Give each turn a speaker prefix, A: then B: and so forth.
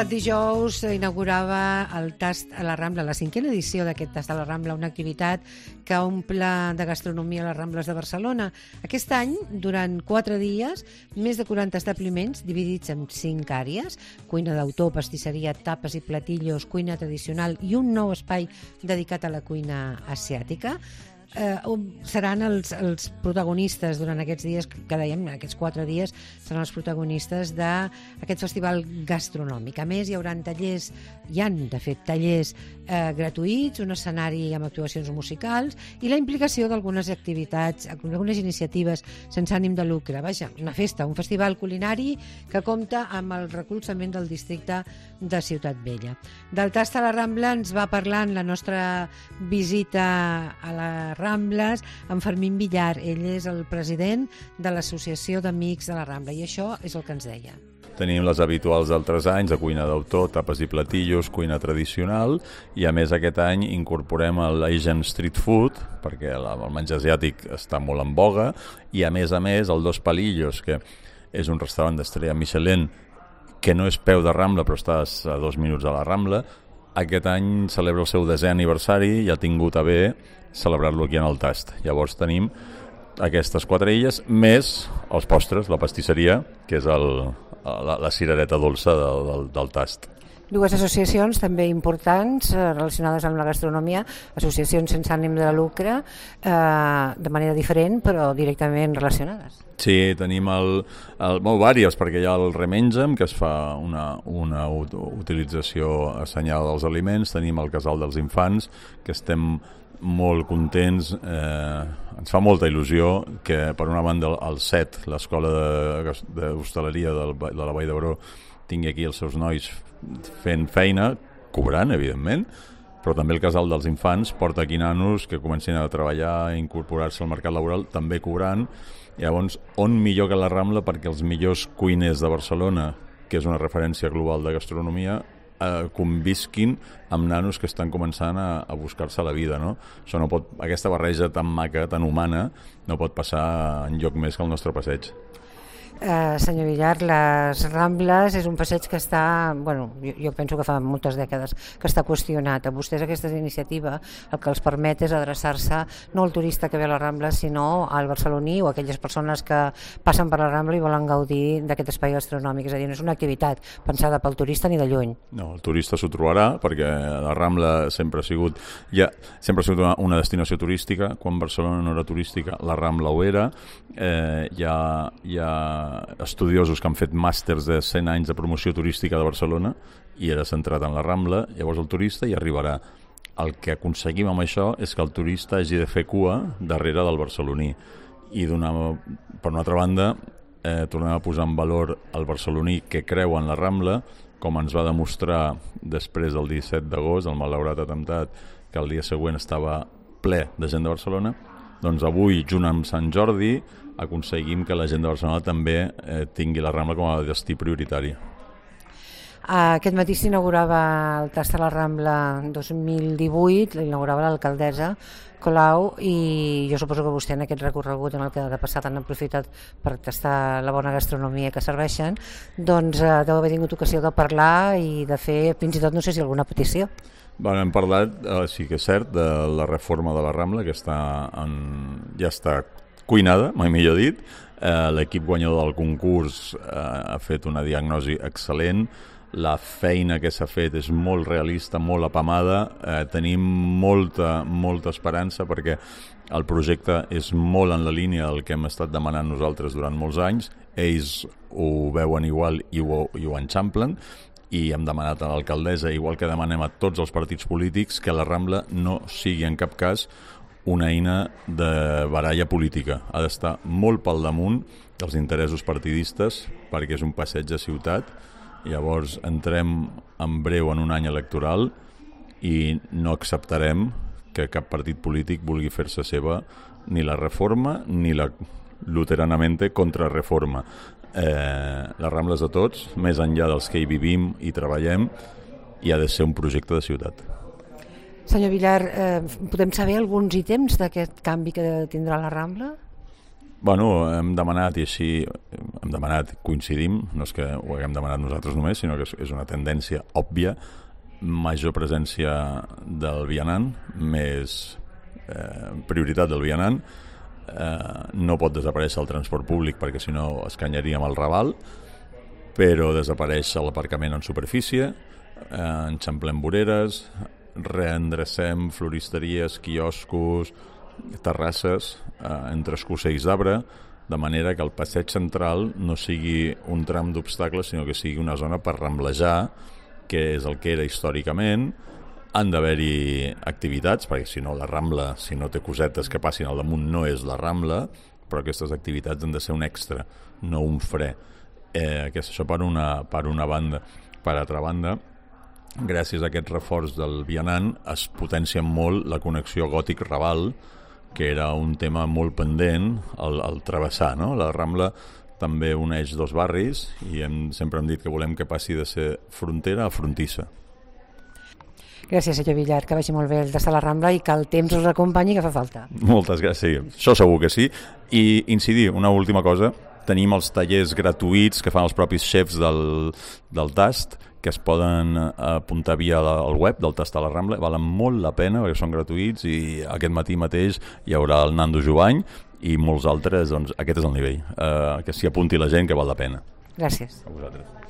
A: passat dijous inaugurava el Tast a la Rambla, la 5a edició d'aquest Tast a la Rambla, una activitat que omple de gastronomia a les Rambles de Barcelona. Aquest any, durant 4 dies, més de 40 establiments dividits en 5 àrees, cuina d'autor, pastisseria, tapes i platillos, cuina tradicional i un nou espai dedicat a la cuina asiàtica. Seran els protagonistes durant aquests dies, que dèiem, aquests 4 dies seran els protagonistes d'aquest festival gastronòmic. A més, hi haurà tallers, de fet, tallers gratuïts, un escenari amb actuacions musicals i la implicació d'algunes activitats, algunes iniciatives sense ànim de lucre. Vaja, una festa, un festival culinari que compta amb el recolzament del districte de Ciutat Vella. Del Tast a la Rambla ens va parlar en la nostra visita a la Rambles, en Fermín Villar. Ell és el president de l'Associació d'Amics de la Rambla i això és el que ens deia.
B: Tenim les habituals d'altres anys, de cuina d'autor, tapes i platillos, cuina tradicional, i a més aquest any incorporem l'Asian Street Food, perquè el menjar asiàtic està molt en boga, i a més el Dos Palillos, que és un restaurant d'estrella Michelin, que no és peu de Rambla, però estàs a 2 minuts de la Rambla. Aquest any celebra el seu 10è aniversari i ha tingut a bé celebrar-lo aquí en el Tast. Llavors tenim aquestes 4 illes, més els postres, la pastisseria, que és la cirereta dolça del Tast.
A: Dues associacions també importants relacionades amb la gastronomia, associacions sense ànim de lucre, de manera diferent però directament relacionades.
B: Sí, tenim diverses, perquè hi ha el Remengem, que es fa una utilització assenyada dels aliments, tenim el Casal dels Infants, que estem molt contents, ens fa molta il·lusió que per una banda el CET, l'escola d'hostaleria de la Vall d'Hebron, tingui aquí els seus nois fent feina, cobrant, evidentment, però també el Casal dels Infants porta aquí nanos que comencin a treballar, a incorporar-se al mercat laboral, també cobrant. Llavors, on millor que la Rambla perquè els millors cuiners de Barcelona, que és una referència global de gastronomia, convisquin amb nanos que estan començant a buscar-se la vida, no? Això no pot, aquesta barreja tan maca, tan humana, no pot passar enlloc més que el nostre passeig.
A: Senyor Villar, les Rambles és un passeig que està, jo penso que fa moltes dècades que està qüestionat. A vostès aquesta iniciativa el que els permet és adreçar-se no al turista que ve a la Rambla, sinó al barceloní o a aquelles persones que passen per la Rambla i volen gaudir d'aquest espai gastronòmic. És a dir, no és una activitat pensada pel turista ni de lluny. No,
B: el turista s'ho trobarà perquè la Rambla sempre ha sigut una destinació turística. Quan Barcelona no era turística, la Rambla ho era. Hi ha estudiosos que han fet màsters de 100 anys de promoció turística de Barcelona i era centrat en la Rambla. Llavors el turista hi arribarà. El que aconseguim amb això és que el turista hagi de fer cua darrere del barceloní i per una altra banda tornem a posar en valor el barceloní que creu en la Rambla, com ens va demostrar després del 17 d'agost, el malaurat atemptat, que el dia següent estava ple de gent de Barcelona. Doncs avui, junt amb Sant Jordi, aconseguim que la gent de Barcelona també tingui la Rambla com a destí prioritari.
A: Aquest matí s'inaugurava el Tast a la Rambla 2018, l'inaugurava l'alcaldessa Colau, i jo suposo que vostè en aquest recorregut en el que de passat han aprofitat per tastar la bona gastronomia que serveixen, doncs deu haver tingut ocasió de parlar i de fer fins i tot, no sé si alguna petició.
B: Hem parlat, sí que és cert, de la reforma de la Rambla, que ja està cuinada, mai millor dit. L'equip guanyador del concurs ha fet una diagnosi excel·lent. La feina que s'ha fet és molt realista, molt apamada. Tenim molta esperança perquè el projecte és molt en la línia del que hem estat demanant nosaltres durant molts anys. Ells ho veuen igual i ho enxamplen. I hem demanat a l'alcaldessa, igual que demanem a tots els partits polítics, que la Rambla no sigui en cap cas una eina de baralla política. Ha d'estar molt pel damunt dels interessos partidistes perquè és un passeig de ciutat. Llavors entrem en breu en un any electoral i no acceptarem que cap partit polític vulgui fer-se seva ni la reforma ni la luteranamente contrarreforma. La Rambla és de tots, més enllà dels que hi vivim i treballem, i ha de ser un projecte de ciutat.
A: Senyor Villar, podem saber alguns ítems d'aquest canvi que tindrà la Rambla?
B: Bueno, hem demanat, i així coincidim, no és que ho haguem demanat nosaltres només, sinó que és una tendència òbvia, major presència del vianant, més prioritat del vianant, no pot desaparèixer el transport públic perquè si no escanyaríem el Raval, però desapareix l'aparcament en superfície, enxamplem voreres, reendrecem floristeries, quioscos, terrasses entre escossells d'arbre, de manera que el passeig central no sigui un tram d'obstacles, sinó que sigui una zona per ramblejar, que és el que era històricament. Han d'haver-hi activitats, perquè si no la Rambla, si no té cosetes que passin al damunt, no és la Rambla, però aquestes activitats han de ser un extra, no un fre. Això per una banda. Per altra banda, gràcies a aquest reforç del vianant es potencia molt la connexió Gòtic-Raval, que era un tema molt pendent al travessar, no? La Rambla també uneix dos barris i sempre hem dit que volem que passi de ser frontera a frontissa.
A: Gràcies, senyor Villar, que vagi molt bé el tastar a la Rambla i que el temps us acompanyi, que fa falta.
B: Moltes gràcies, sí. Això segur que sí. I incidir, una última cosa, tenim els tallers gratuïts que fan els propis xefs del tast, que es poden apuntar via el web del Tastar a la Rambla, valen molt la pena perquè són gratuïts i aquest matí mateix hi haurà el Nando Jovany i molts altres, doncs aquest és el nivell, que s'hi apunti la gent, que val la pena.
A: Gràcies.
B: A vosaltres.